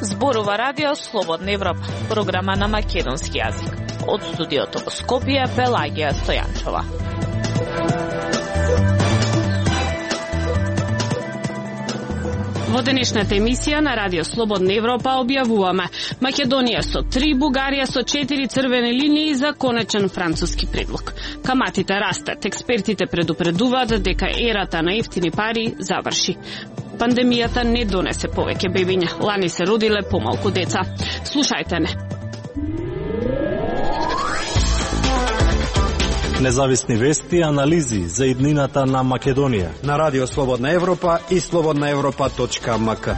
Зборува Радио Слободна Европа, програма на македонски јазик. Од студиото во Скопје, Пелагија Стојанчова. Во денешната емисија на Радио Слободна Европа објавуваме Македонија со 3, Бугарија со 4 црвени линии за конечен француски предлог. Каматите растат, експертите предупредуваат дека ерата на ефтини пари заврши. Пандемијата не донесе повеќе бебиња, лани се родиле помалку деца. Слушајте не. Независни вести и анализи за иднината на Македонија на Радио Слободна Европа и slobodnaevropa.mk.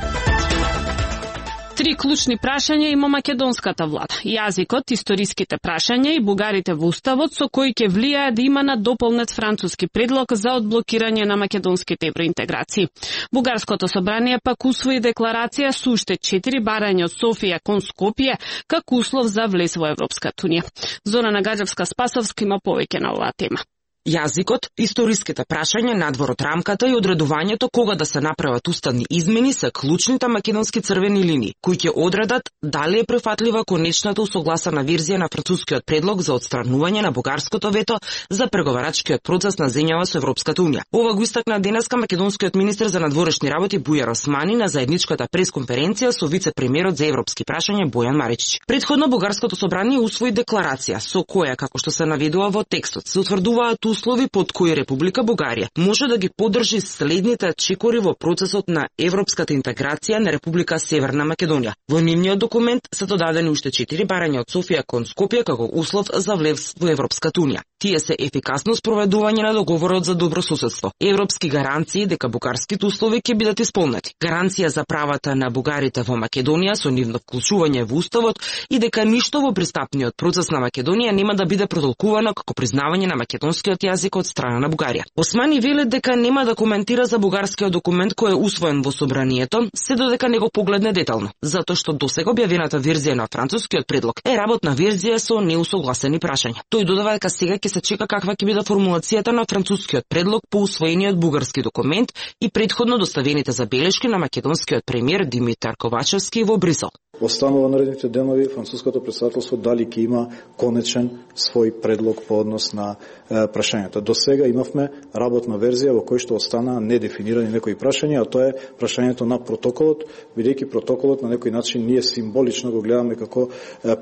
3 клучни прашања има македонската влада. Јазикот, историските прашања и бугарите во уставот со кои ќе влијае да има на дополнет француски предлог за одблокирање на македонските евроинтеграции. Бугарското собрание пак усвои декларација со уште 4 барања од Софија кон Скопје како услов за влез во Европската унија. Зорана Гаджевска-Спасовска има повеќе на оваа тема. Јазикот, историските прашања надвор од рамката и одредувањето кога да се направат уставни измени се клучните македонски црвени линии, кои ќе одредат дали е прифатлива конечната усогласена верзија на францускиот предлог за отстранување на бугарското вето за преговарачкиот процес на земјава со Европската унија. Ова го истакна денеска македонскиот министер за надворешни работи Бујар Османи на заедничката пресконференција со вице-премиерот за европски прашања Бојан Маричич. Предходно бугарското собрание усвои декларација со која, како што се наведува во текстот, се утврдуваат услови под кои Република Бугарија може да ги поддржи следните чекори во процесот на европската интеграција на Република Северна Македонија. Во нивниот документ се додадени уште 4 барања од Софија кон Скопје како услов за влез во Европската унија. Тие се ефикасно спроведување на договорот за добрососедство, европски гаранции дека бугарските услови ќе бидат исполнети, гаранција за правата на бугарите во Македонија со нивно вклучување во уставот и дека ништо во пристапниот процес на Македонија нема да биде протолкувано како признавање на македонскиот јазик од страна на Бугарија. Османи вели дека нема да коментира за бугарскиот документ кој е усвоен во собранието, се додека не го погледне детално, затоа што досега објавената верзија на францускиот предлог е работна верзија со неусогласени прашања. Тој додава дека сега ќе се чека каква ќе биде формулацијата на францускиот предлог по усвоениот бугарски документ и претходно доставените забелешки на македонскиот премиер Димитар Ковачевски во Брисел. Останува наредните денови француското претседателство дали ќе има конечен свој предлог по однос на прашањата. До сега имавме работна верзија во која што останаа недефинирани некои прашања, а тоа е прашањето на протоколот, бидејќи протоколот на некој начин ние символично го гледаме како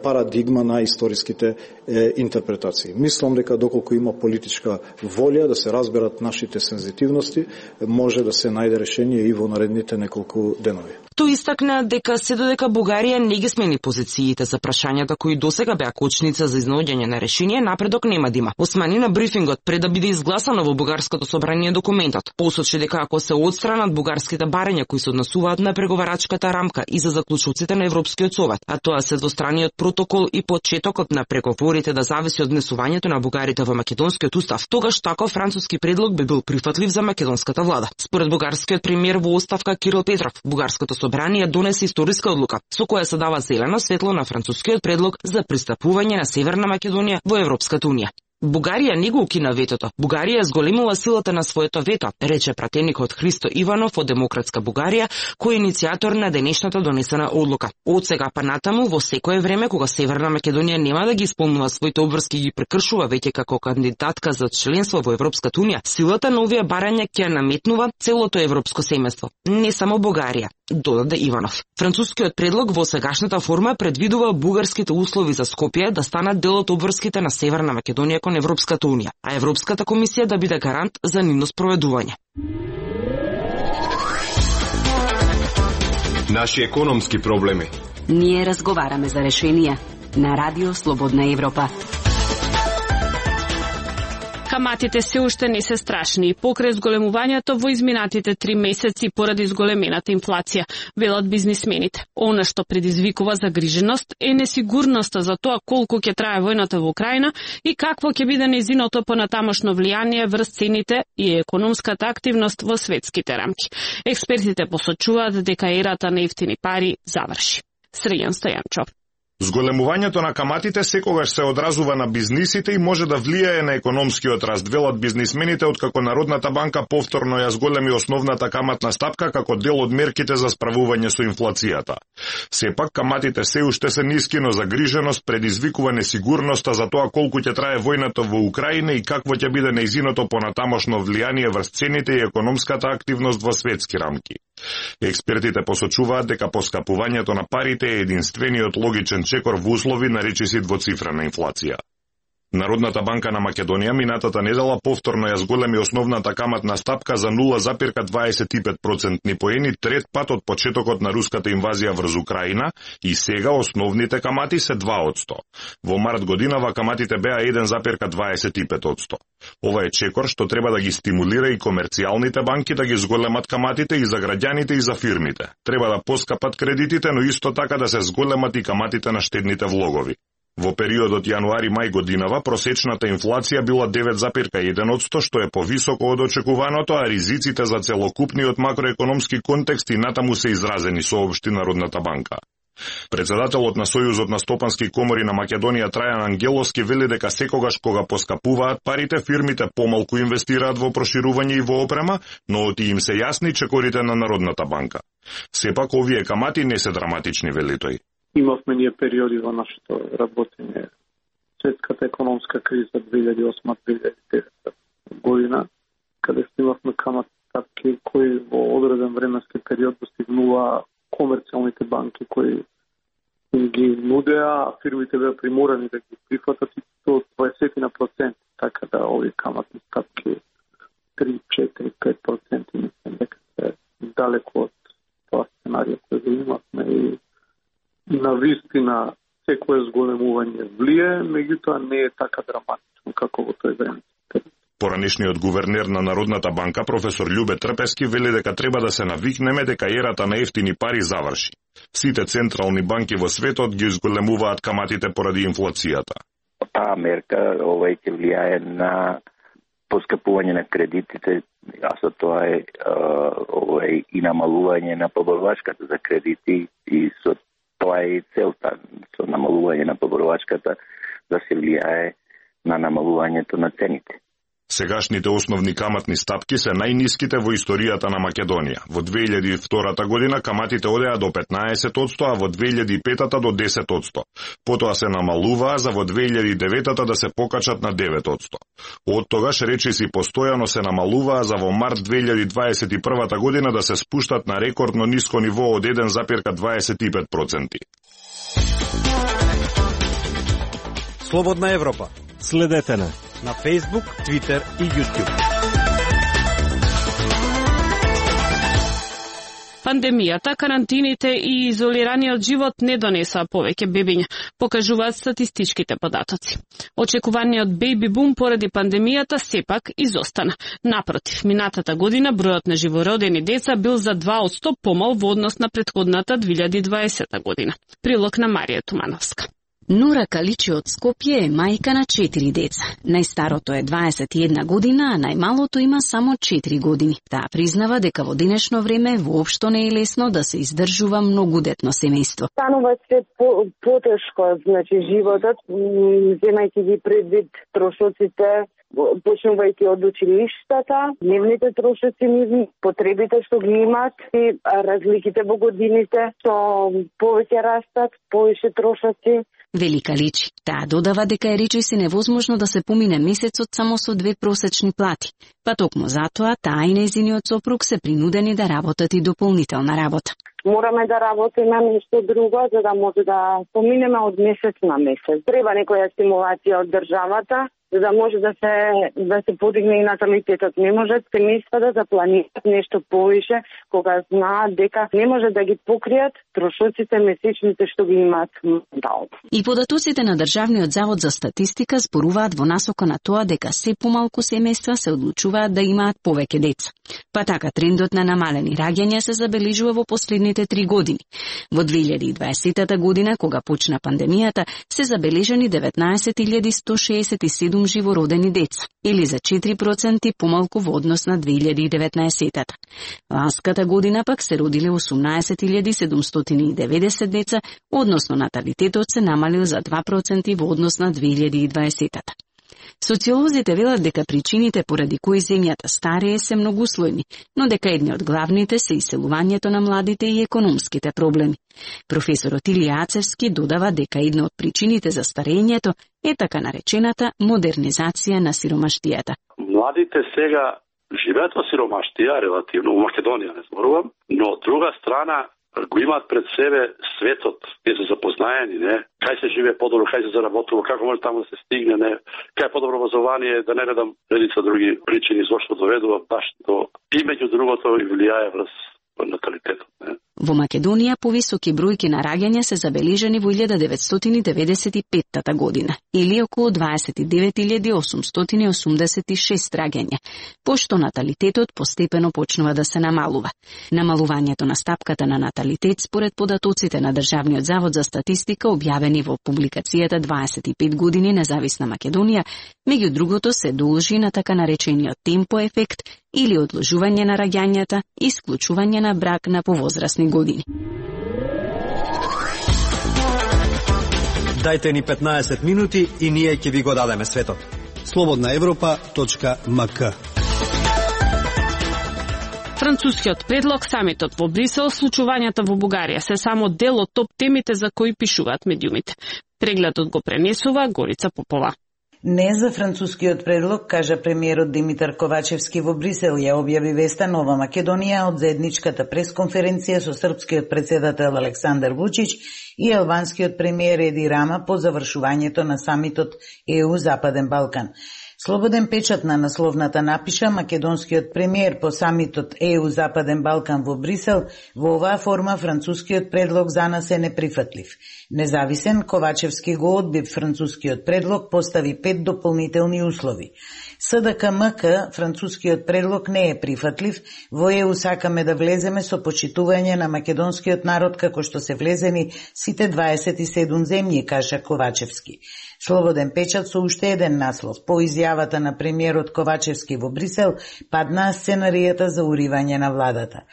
парадигма на историските интерпретации. Мислам дека доколку има политичка волја да се разберат нашите сензитивности, може да се најде решение и во наредните неколку денови. Тој истакна дека се додека Бугарија не ги смени позициите за прашањата кои досега беа кочница за изнаоѓање на решение, напредок нема да има. Османи на брифингот пред да биде изгласано во бугарското собрание документот посочи дека ако се отстранат бугарските барања кои се однесуваат на преговарачката рамка и за заклучоците на Европскиот совет, а тоа се двостраниот протокол и почетокот на преговорите да зависи од внесувањето на бугарите во македонскиот устав, тогаш таков француски предлог би бил прифатлив за македонската влада. Според бугарскиот премиер во оставка Кирил Петров, бугарското собрание донесе историска одлука со која се дава зелено светло на францускиот предлог за пристапување на Северна Македонија во Европската унија. Бугарија не го укина ветото. Бугарија зголемила силата на своето вето, рече пратеникот Христо Иванов од Демократска Бугарија, кој е иницијатор на денешната донесена одлука. Од сега па натаму, во секое време кога Северна Македонија нема да ги исполнува своите обврски и ги прекршува веќе како кандидатка за членство во Европската унија, силата на овие барања ќе наметнува целото европско семејство, не само Бугарија, додаде Иванов. Францускиот предлог во сегашната форма предвидува бугарските услови за Скопје да станат дел од обврските на Северна Македонија кон Европската унија, а Европската комисија да биде гарант за нивно спроведување. Наши економски проблеми. Ние разговараме за решенија на Радио Слободна Европа. Каматите се уште не се страшни и покрај зголемувањето во изминатите 3 месеци поради зголемената инфлација, велат бизнисмените. Она што предизвикува загриженост е несигурноста за тоа колку ќе трае војната во Украина и какво ќе биде нејзиното понатамошно влијание врз цените и економската активност во светските рамки. Експертите посочуваат дека ерата на ефтини пари заврши. Срејан Стојанчов. Зголемувањето на каматите секогаш се одразува на бизнисите и може да влијае на економскиот раст, велат бизнисмените, откако Народната банка повторно ја зголеми основната каматна стапка како дел од мерките за справување со инфлацијата. Сепак, каматите се уште се ниски, но загриженост предизвикува несигурноста за тоа колку ќе трае војната во Украина и какво ќе биде нејзиното понатамошно влијание врз цените и економската активност во светски рамки. Експертите посочуваат дека поскапувањето на парите е единствениот логичен чекор во услови на речиси двоцифрена инфлација. Народната банка на Македонија минатата недела повторно ја зголеми основната каматна стапка за 0,25% поени, трет пат од почетокот на руската инвазија врз Украина, и сега основните камати се 2%. Во март годинава каматите беа 1,25%. Ова е чекор што треба да ги стимулира и комерцијалните банки да ги зголемат каматите и за граѓаните и за фирмите. Треба да поскапат кредитите, но исто така да се зголемат и каматите на штедните влогови. Во периодот јануари-мај годинава просечната инфлација била 9,1%, што е повисоко од очекуваното, а ризиците за целокупниот макроекономски контекст и натаму се изразени, соопшти Народната банка. Председателот на Сојузот на стопански комори на Македонија Трајан Ангеловски вели дека секогаш кога поскапуваат парите, фирмите помалку инвестираат во проширување и во опрема, но оти им се јасни чекорите на Народната банка. Сепак овие камати не се драматични, вели тој. Имавме ние периоди во нашето работење. Светската економска криза 2008-2009 година, каде имавме каматни стапки кои во одреден временски период достигнува комерцијалните банки кои им ги нудеа, а фирмите беа приморани да ги прифатат и до 20%, така да овие каматни стапки 3, 4, 5% мислам дека се далеко од тоа сценарија кој го имавме и на вистина секое зголемување влие, меѓутоа не е така драматично како во тој време. Поранешниот гувернер на Народната банка, професор Љубе Трпески, вели дека треба да се навикнеме дека ерата на ефтини пари заврши. Сите централни банки во светот ги зголемуваат каматите поради инфлацијата. Таа мерка ќе влијае на поскапување на кредитите, а со тоа е и намалување на поборувачката за кредити и со тоа е и целта, со намалување на поборувачката да се влијае на намалувањето на цените. Сегашните основни каматни стапки се најниските во историјата на Македонија. Во 2002 година каматите одеа до 15%, а во 2005 до 10%. Потоа се намалуваа за во 2009 да се покачат на 9%. Од тогаш речиси постојано се намалуваа за во март 2021 година да се спуштат на рекордно ниско ниво од 1,25%. Слободна Европа. Следете на Facebook, Twitter и YouTube. Пандемијата, карантините и изолираниот живот не донесоа повеќе бебиња, покажуваат статистичките податоци. Очекуваниот бејби бум поради пандемијата сепак изостана. Напротив, минатата година бројот на живородени деца бил за 2% помал во однос на претходната 2020 година. Прилог на Марија Тумановска. Нура Каличи од Скопје е мајка на 4 деца. Најстарото е 21 година, а најмалото има само 4 години. Таа признава дека во денешно време воопшто не е лесно да се издржува многудетно семејство. Станува се потешко, значи животот, земајќи ги предвид трошоците, почнувајќи од училиштата, дневните трошоци, потребите што ги имат и разликите во годините, што повеќе растат, повеќе трошоци. Велика Личи. Таа додава дека е речиси невозможно да се помине месецот само со 2 просечни плати. Па токму затоа таа и нејзиниот сопруг се принудени да работат и дополнителна работа. Мораме да работиме нешто друго за да може да поминеме од месец на месец. Треба некоја стимулација од државата за да може да се подигне и наталитетот. Не можат семејствата да планираат нешто повише кога знаат дека не може да ги покријат трошоците месечните што ги имаат моментално. И податоците на Државниот завод за статистика зборуваат во насока на тоа дека се помалку семејства се одлучуваат да имаат повеќе деца. Па така трендот на намалени раѓања се забележува во последните 3 години. Во 2020 година, кога почна пандемијата, се забележани 19.167 милион живородени деца, или за 4% помалку во однос на 2019-тата. Ланската година пак се родиле 18.790 деца, односно наталитетот се намалил за 2% во однос на 2020-тата. Социолозите велат дека причините поради кои земјата старее се многуслојни, но дека едни од главните се иселувањето на младите и економските проблеми. Професорот Илија Ацевски додава дека една од причините за старењето е така наречената модернизација на сиромаштијата. Младите сега живеат во сиромаштија, релативно, во Македонија не зборувам, но од друга страна го имаат пред себе светот, кај се запознаени, не? Кај се живее подобро, кај се заработува, како може таму да се стигне, не? Кај е подобро образование, да не редам редица други причини зошто доведува баш до и меѓу другото и влијае врз наталитетот, не? Во Македонија повисоки бројки на раѓања се забележани во 1995 година, или околу 29.886 раѓања, пошто наталитетот постепено почнува да се намалува. Намалувањето на стапката на наталитет според податоците на Државниот завод за статистика објавени во публикацијата 25 години независна Македонија, меѓу другото се должи на така наречениот темпо ефект или одложување на раѓањата и исклучување на брак на повозрасни години. Дајте ни 15 минути и ние ќе ви го дадеме светот. slobodnaevropa.mk. Францускиот предлог, самитот во Брисел, случувањата во Бугарија се само дел од топ темите за кои пишуваат медиумите. Прегледот го пренесува Горица Попова. Не за францускиот предлог, кажа премиерот Димитар Ковачевски во Брисел, ја објави веста Нова Македонија од заедничката пресконференција со српскиот председател Александар Вучич и албанскиот премиер Еди Рама по завршувањето на самитот ЕУ Западен Балкан. Слободен печат на насловната напиша македонскиот премиер по самитот ЕУ Западен Балкан во Брисел, во оваа форма францускиот предлог за нас е неприфатлив. Независен, Ковачевски го одби францускиот предлог, постави 5 дополнителни услови. СДКМК, францускиот предлог не е прифатлив, во ЕУ сакаме да влеземе со почитување на македонскиот народ како што се влезени сите 27 земји, кажа Ковачевски. Слободен печат со уште еден наслов. По изјавата на премиерот Ковачевски во Брисел, паднаа сценаријата за уривање на владата.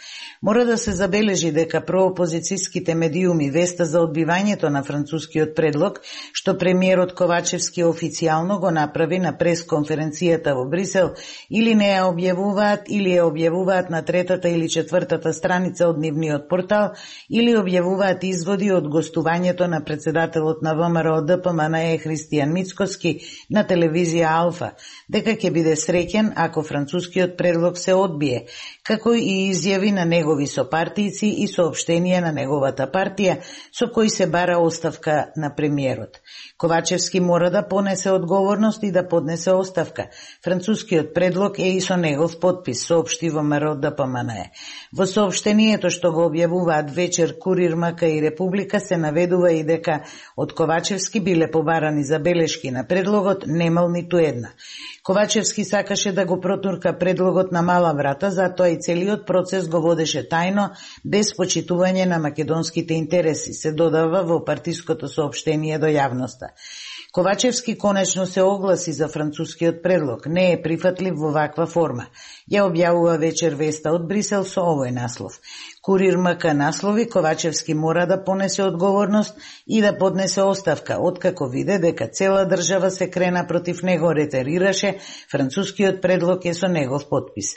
Мора да се забележи дека проопозицијските медиуми веста за одбивањето на францускиот предлог, што премиерот Ковачевски официјално го направи на пресконференцијата во Брисел, или не ја објавуваат, или ја објавуваат на 3-та или 4-та страница од нивниот портал, или објавуваат изводи од гостувањето на председателот на ВМРО ДПМНЕ Христијан Мицкоски на телевизија Алфа, дека ќе биде среќен ако францускиот предлог се одбие, како и изјави на негови сопартијци и соопштенија на неговата партија, со кои се бара оставка на премиерот. Ковачевски мора да понесе одговорност и да поднесе оставка. Францускиот предлог е и со негов подпис, соопшти ВМРО ДПМНЕ. Во соопштението што го објавуваат вечер Курир, МК и Република се наведува и дека од Ковачевски биле побарани забелешки на предлогот, немал ниту една. Ковачевски сакаше да го протурка предлогот на мала врата, затоа и целиот процес го водеше тајно, без почитување на македонските интереси, се додава во партиското соопштение до јавноста. Ковачевски конечно се огласи за францускиот предлог, не е прифатлив во ваква форма. Ја објавува вечер веста од Брисел со овој наслов. Курир МК наслови, Ковачевски мора да понесе одговорност и да поднесе оставка, откако виде дека цела држава се крена против него, ретерираше, францускиот предлог е со негов подпис.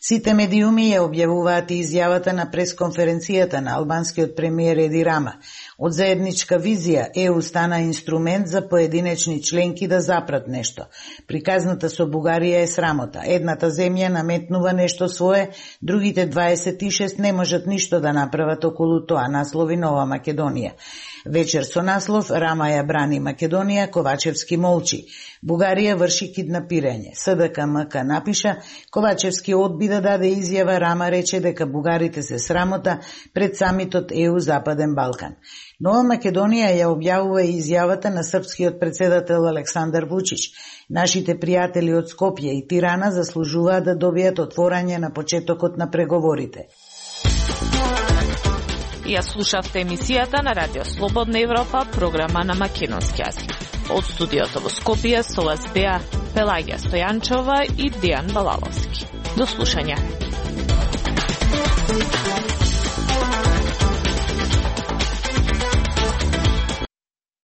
Сите медиуми ја објавуваат и изјавата на пресконференцијата на албанскиот премиер Еди Рама. Од заедничка визија ЕУ стана инструмент за поединечни членки да запрат нешто. Приказната со Бугарија е срамота. Едната земја наметнува нешто свое, другите 26 не можат ништо да направат околу тоа, наслови Нова Македонија. Вечер со наслов Рама ја брани Македонија, Ковачевски молчи. Бугарија врши киднапирање. СДКМК напиша, Ковачевски одби да даде изјава, Рама рече дека бугарите се срамота пред самитот ЕУ Западен Балкан. Нова Македонија ја објавува и изјавата на српскиот председател Александар Вучич. Нашите пријатели од Скопје и Тирана заслужуваат да добијат отворање на почетокот на преговорите. Ја слушавте емисијата на Радио Слободна Европа, програма на македонски јазик. Од студиото во Скопје со вас беа Пелагија Стојанчова и Дејан Балаловски. До слушање.